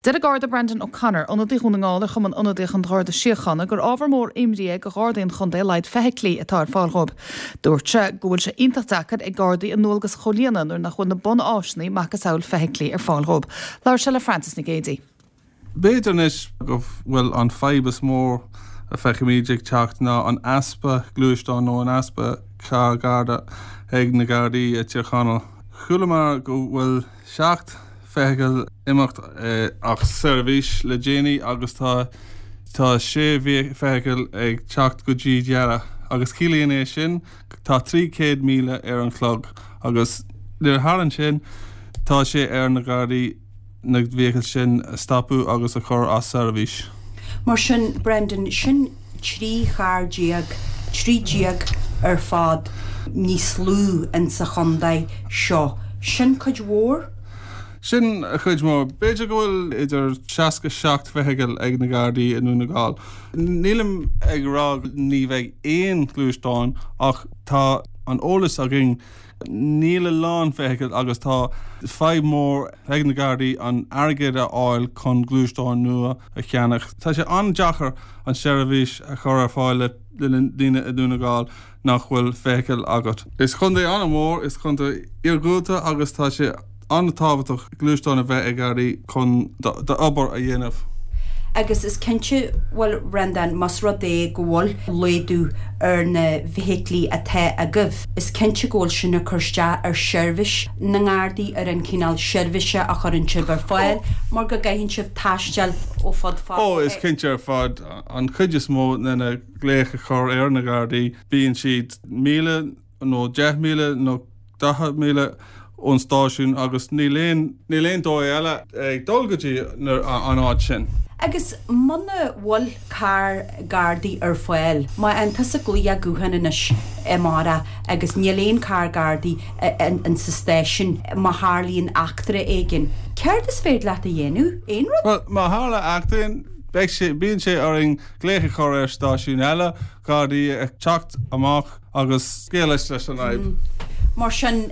Deir an Garda Brendan O'Connor, ionadaí Dhún na nGall ar Chumann Ionadaíoch an Gharda Síochána, gur ábhar mór imní é do Ghardaí an chontae a laghad feithiclí atá ar fáil dhóibh. Dúirt sé go bhfuil sé iontach deacair ag Gardaí a ndualgas a chomhlíonadh nuair nach bhfuil na bun-áiseanna, macasamhail feithiclí, ar fáil dhóibh. Labhair sé le Frances Nic Géadaigh. B'fhéidir anois go bhfuil an fadhb is mó a feicimid ag teacht ná an easpa gluaisteán nó an easpa carr Garda ag na Gardaí i Tír Chonaill. Chualamar go bhfuil 7 feithicil imeacht as seirbhís le déanaí agus tá tá 6 feithicil ag teacht go dtí deireadh agus ciallaíonn é sin tá 300,000 ar an chlog agus nuair a tharlaíonn sin tá sé ar na Gardaí na feithicil sin a stopadh agus a chur as seirbhís. Mar sin, Brendan, sin 13 charr, 13 ar fad níos lú insa chontae seo. Sin cuid mhór? Sin cuid mhór. B'fhéidir go bhfuil idir 67 feithicil ag na Gardaí i nDún na nGall. Nílim ag rá ní bheidh aon ghluaisteán ach tá an eolas againn Níl a lán feithicil agus tá fadhb mór ag na Gardaí an airgead a fháil chun gluaisteáin nua a cheannach. Tá sé an-deacair an seirbhís a chur ar fáil le daoine i Dún na nGall nach bhfuil feithicil agat. Is contae an-mhór, is contae iargúlta agus tá sé an-tábhachtach gluaisteán a bheith ag Gardaí chun d'obair a dhéanamh. Agus is cinnte, bhuel, Bhreandáin, más rud é go bhfuil laghdú ar na feithiclí atá agaibh, is cinnte go bhfuil sin ag cur isteach ar sheirbhís na nGardaí, ar an chineál seirbhíse a chuireann sibh ar fáil, mar go gcaitheann sibh taisteal ó fud fad. Ó, is cinnte ar fad. An chuid is mó de na glaoch a chur ar na Gardaí, bíonn siad 1,000 nó 10,000 nó 40,000 ón stáisiún agus níl aon níl aon dóigh eile ag dul go dtí an áit sin. Agus muna bhfuil carr Gardaí ar fáil, má fhaigheann tusa glaoch gutháin anois amárach agus níl aon carr Gardaí in sa stáisiún má tharlaíonn eachtra éigin, céard is féidir leat a dhéanamh? Aon rud? Bhuel, má tharla eachtra, beidh sé, bíonn sé orainn glaoch a chur ar stáisiún eile, Gardaí ag teacht amach agus scéal leis leis an fhadhb. Mar sin,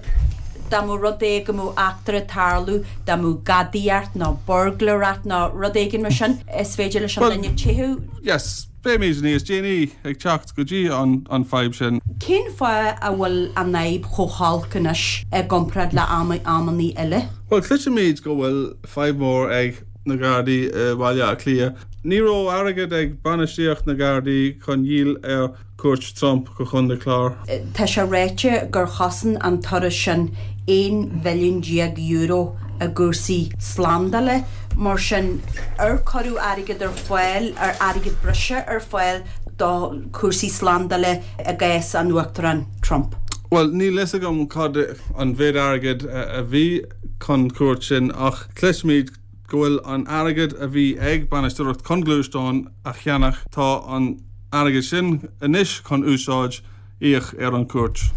dá mba rud é go mbeadh eachtra ag tarlú, dá mbeadh gadaíocht nó buirgléireacht nó rud éigin mar sin, is féidir leis an duine teitheadh. Yes, beimid níos déanaí ag teacht go dtí an fadhb sin. Cén fáth a bhfuil an fhadhb chomh holc anois i gcomparáid le amannaí eile? Bhuel, cloisimid go bhfuil fadhb mhór ag na Gardaí i Bhaile Átha Cliath. Ní raibh airgead ag bainistíocht na Gardaí chun dhíol ar cuairt Trump go Chontae Chláir. Tá sé ráite gur chosain an turas sin €11 bhilliún i gcúrsaí slándála. Mar sin, ar cuireadh airgead ar fáil, ar airgead breise ar fáil do chúrsaí slándála i gcás an Uachtaráin Trump? Bhuel, níl fhios agam cad an mhéid airgid a bhí chun cuairt sin ach cloisimid go bhfuil an airgead a bhí ag bainisteoireacht chun gluaisteán a cheannach, tá an airgead sin anois chun úsáid íoc ar an cuairt.